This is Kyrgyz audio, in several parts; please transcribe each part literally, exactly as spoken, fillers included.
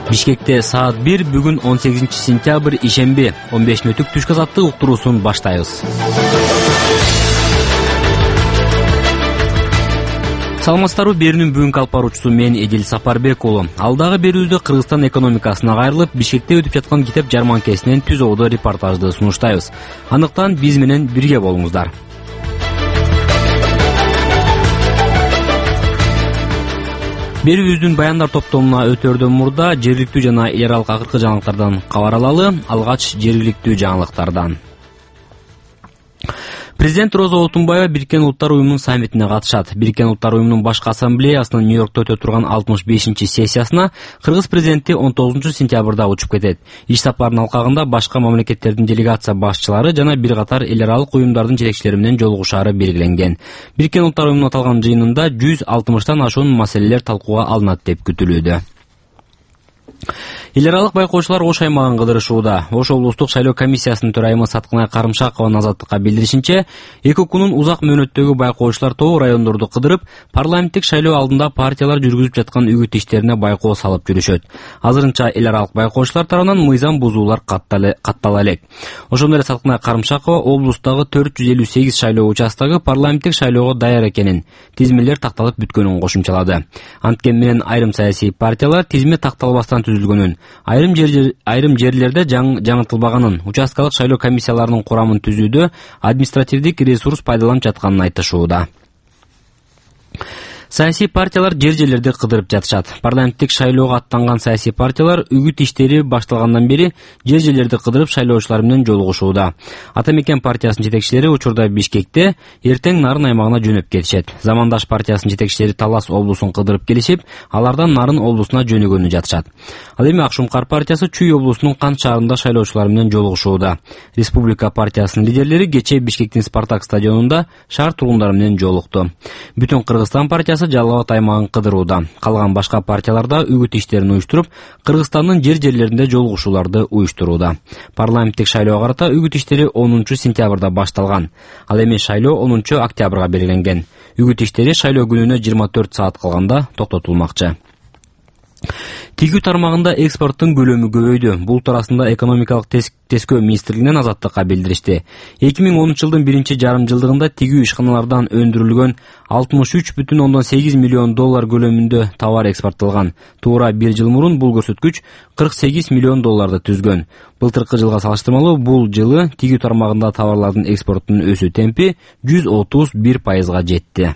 Бишкекте саат бир бүгүн он сегизинчи сентябрь ишемби он беш мүнөттүк түшкү азаттык уктуруусун баштайбыз. Саламатсыздарбы, берүүнүн бүгүнкү алып баруучусу мен Эдил Сапарбек уулу. Алдагы берүүдө Кыргызстан экономикасына кайрылып, Бишкекте өтүп жаткан китеп жарманкесинен түз ободо репортажды сунуштайбыз. Андыктан биз менен бирге болуңуздар. Берүүбүздүн баяндар топтомуна өтөрдөн мурда жергиликтүү жана эл аралык акыркы жаңылыктардан кабар алалы. Алгач жергиликтүү жаңылыктардан. Президент Роза Отунбаева Бириккен Улуттар уюмунун саммитине катышат. Бириккен Улуттар уюмунун башкы ассамблеясынын Нью-Йоркто өтө турган алтымыш бешинчи сессиясына Кыргыз президенти он тогузунчу сентябрда учуп кетет. Иш сапарынын алкагында башка мамлекеттердин делегация башчылары жана бир катар эл аралык уюмдардын жетекчилери менен жолугушаары белгиленген. Бириккен Улуттар уюмунун аталган жыйынында жүз алтымыштан ашуун маселелер талкууга алынат деп күтүлүүдө. Эл аралык байкоочулар Ош аймагын кыдырышууда. Ош облустук шайлоо комиссиясынын төрайымы Саткынай Карымшакованын Азаттыкка билдиришинче, эки укунун узак мөөнөттөгү байкоочулар тобу райондорду кыдырып, парламенттик шайлоо алдында партиялар жүргүзүп жаткан үгүт иштерине байкоо салып жүрүшөт. Азырынча эл аралык байкоочулар тарабынан мыйзам бузуулар каттала элек. Ошондой эле Саткынай Карымшакова облустагы төрт жүз элүү сегиз шайлоо участогу парламенттик шайлоого даяр экенин, тизмелер такталып бүткөнүн кошумчалады. Анткени менен айрым саясий партиялар тизме такталбастан түзүлгөнүн, айрым жер айрым жерлерде жаң, жаңыртылбаганын, участкалык шайлоо комиссияларынын курамын түзүүдө административдик ресурс пайдаланып жатканын айтышууда. Саясий партиялар жер-жерлерде кыдырып жатышат. Парламенттик шайлоого аттанган саясий партиялар үгүт иштери башталгандан бери жер-жерлерде кыдырып шайлоочулар менен жолугушууда. Ата Мекен партиясынын жетекчилери учурда Бишкекте, эртең Нарын аймагына жөнөп кетишет. Замандаш партиясынын жетекчилери Талас облусун кыдырып келишип, алардан Нарын облусуна жөнөгөнү жатышат. Ал эми Акшумкар партиясы Чүй облусунун Кант шаарында шайлоочулар менен жолугушууда. Республика партиясынын лидерлери кечээ Бишкектин Спартак стадионунда шаар тургундары менен жолукту. Бүтүн Кыргызстан партиясы Жалал Абад аймагын кыдырууда. Калган башка партияларда үгүт иштерин уюштуруп, Кыргызстандын жер-жерлеринде жолугушууларды уюштурууда. Парламенттик шайлоого карата үгүт иштери онунчу сентябрда башталган. Ал эми шайлоо онунчу октябрга белгиленген. Үгүт иштери шайлоо күнүнө жыйырма төрт саат калганда токтотулмакчы. Тигүү тармагында экспорттун көлөмү көбөйдү. Бул туурасында экономикалык тескөө министрлигинен Азаттыкка билдиришти. эки миң онунчу жылдын биринчи жарым жылдыгында тигүү ишканалардан өндүрүлгөн алтымыш үч бүтүн ондон сегиз миллион доллар көлөмүндө товар экспорттолгон. Туура бир жыл мурун бул көрсөткүч кырк сегиз миллион долларды түзгөн. Былтыркы жылга салыштырмалуу бул жылы тигүү тармагында товарлардын экспортунун өсүү темпи жүз отуз бир пайызга жетти.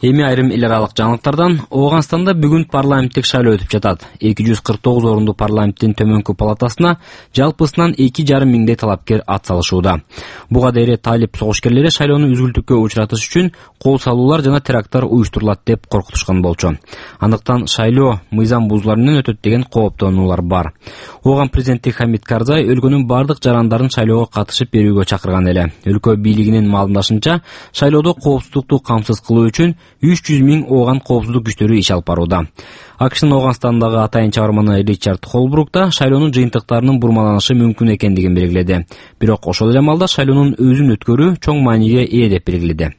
Эми айрым эл аралык жаңылыктардан. Ооганстанда бүгүн парламенттик шайлоо өтүп жатат. эки жүз кырк тогуз орундуу парламенттин төмөнкү палатасына жалпысынан эки жарым миңдей талапкер ат салышууда. Буга дейре талип согушкерлери шайлоону үзгүлтүккө учуратыш үчүн кол салуулар жана теракттар уюштурулат деп коркутушкан болчу. Андыктан шайлоо мыйзам бузуулар менен өтөт деген кооптонуулар бар. Ооган президенти Хамид Карзай өлкөнүн бардык жарандарын шайлоого катышып берүүгө чакырган эле. Өлкө бийлигинин маалымдашынча, шайлоодо коопсуздукту камсыз кылуу үчүн үч жүз миң ооган коопсуздук күчтөрү иш алып барууда. АКШнын Ооганстандагы атайын чыгарманы Ричард Холбрук да шайлоонун жыйынтыктарынын бурмаланышы мүмкүн экендигин белгиледи. Бирок ошол эле маалда шайлоонун өзүн өткөрүү чоң мааниге ээ деп белгиледи.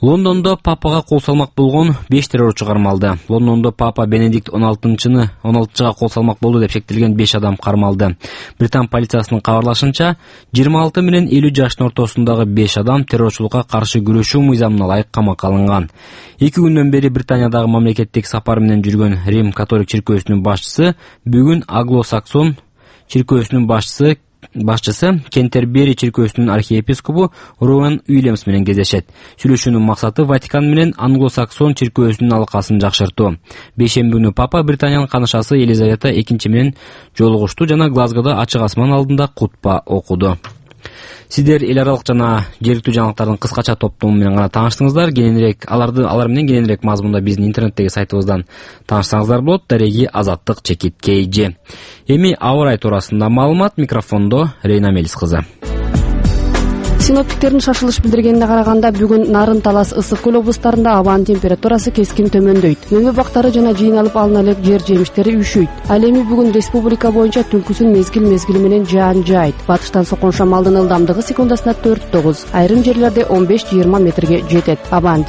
Лондондо папага кол салмак болгон беш террорчу кармалды. Лондондо папа Бенедикт он алтынчыны он алтынчыга кол салмак болду деп шектелген беш адам кармалды. Британ полициясынын кабарлашынча, жыйырма алты менен элүү жаштын ортосундагы беш адам террорчулукка каршы күрөшүү мыйзамына ылайык камакка алынган. эки күндөн бери Британиядагы мамлекеттик сапар менен жүргөн Рим католик чиркөөсүнүн башчысы бүгүн Англо-Саксон чиркөөсүнүн башчысы башчысы Кентербери чиркөөсүнүн архиепископу Роуэн Уильямс менен кездешет. Сүйлөшүүнүн максаты Ватикан менен Англо-Саксон чиркөөсүнүн алакасын жакшыртуу. Бейшемби күнү папа Британиянын канышасы Елизавета экинчи менен жолугушту жана Глазгода ачык асман алдында кутба окуду. Сиздер эл аралык жана жергиликтүү жаңылыктардын кыскача топтому менен гана тааныштыңыздар. Кененирээк аларды алар менен кененирээк мазмунда биздин интернеттеги сайтыбыздан таанышсаңыздар болот. Дареги Азаттык чекит Кейжи. Эми аба ырайы туурасында маалымат. Микрофондо Рейна Мелис кызы. Синоптиктердин шашылыш билдиргенине караганда бүгүн Нарын, Талас, Ысык көл облустарында абанын температурасы кескин төмөндөйт. Мөмө бактары жана жыйналып алына элек жер жемиштери үшүйт. Ал эми бүгүн республика боюнча түнкүсүн мезгил-мезгили менен жаан жаайт. Батыштан соккон шамалдын ылдамдыгы секундасына төрт тогуз, айрым жерлерде он беш жыйырма метрге жетет. Абанын